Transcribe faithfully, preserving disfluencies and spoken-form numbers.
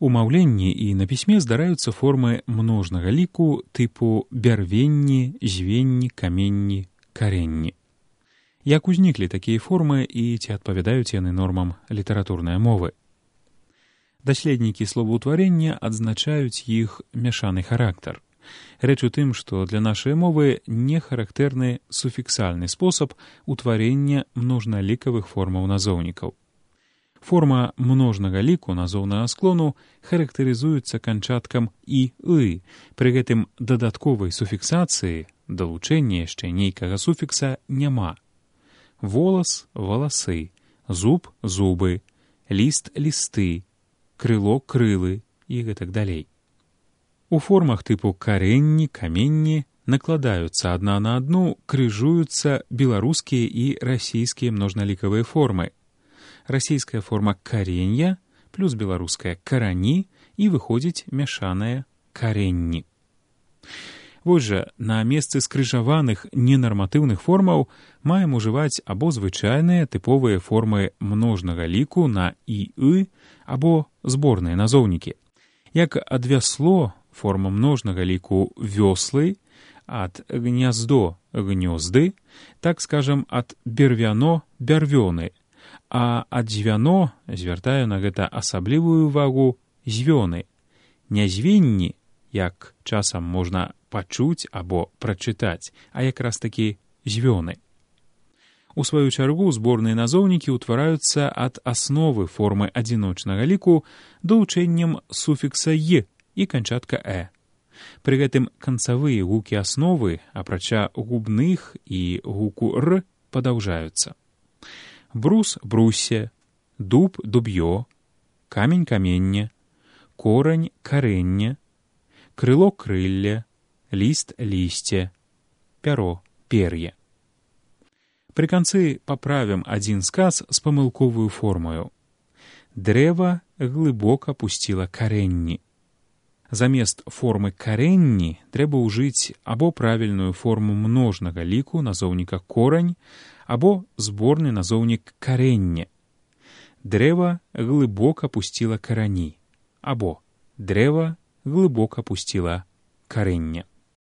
У маўленні і на пісьме здараюцца формы множнага ліку тыпу бярвенні, звенні, каменні, каренні. Як узніклі такія формы і ці адпавядаюць яны нормам літаратурнай мовы? Даследнікі словаўтварення адзначаюць іх мяшаны характар. Рэч у тым, што для нашай мовы не характэрны суфіксальны спосаб утварення множналікавых формаў назоўнікаў. Форма множнага ліку назоўнага склону характарызуецца канчаткам «і-ы», пры гэтым дадатковай суфіксацыі, далучэння яшчэ нейкага суфікса няма. Волас – валасы, зуб – зубы, ліст – лісты, крыло – крылы і гэтак далей. У формах тыпу каренні, каменні накладаюцца адна на адну, крыжуюцца беларускія і расійскія множналікавыя формы. Расійская форма «каренья» плюс беларуская «карані» і выходзіць мяшаная «каренні». Вось жа, на месцы скрыжаваных ненарматыўных формаў маем ужываць або звычайныя тыповыя формы множнага ліку на «і-ы» або зборныя назоўнікі. Як ад вясло форма множнага ліку «вёслы», ад гняздо – гнёзды, так скажам, ад бервяно – бярвёны, а ад звяно, звяртаю на гэта асаблівую ўвагу, звёны. Нязвенні, як часам можна пачуць або прачытаць, а якраз такі звёны. У сваю чаргу зборныя назоўнікі ўтвараюцца ад асновы формы адзіночнага ліку далучэннем суфікса «е» і канчатка «э». Пры гэтым канцавыя гукі асновы, апрача губных і гуку «р», падаўжаюцца. Брус – бруссе, дуб – дуб'ё, камень – каменне, корань – каренне, крыло – крылле, ліст – лісце, пяро – пер'е. Пры канцы паправім адзін сказ з памылковую формаю. Дрэва глыбока пусціла каренні. Замест формы каренні трэба ўжыць або правільную форму множнага ліку назоўніка корань, або зборны назоўнік каренне. Дрэва глыбока пусціла карані, або дрэва глыбока пусціла каренне.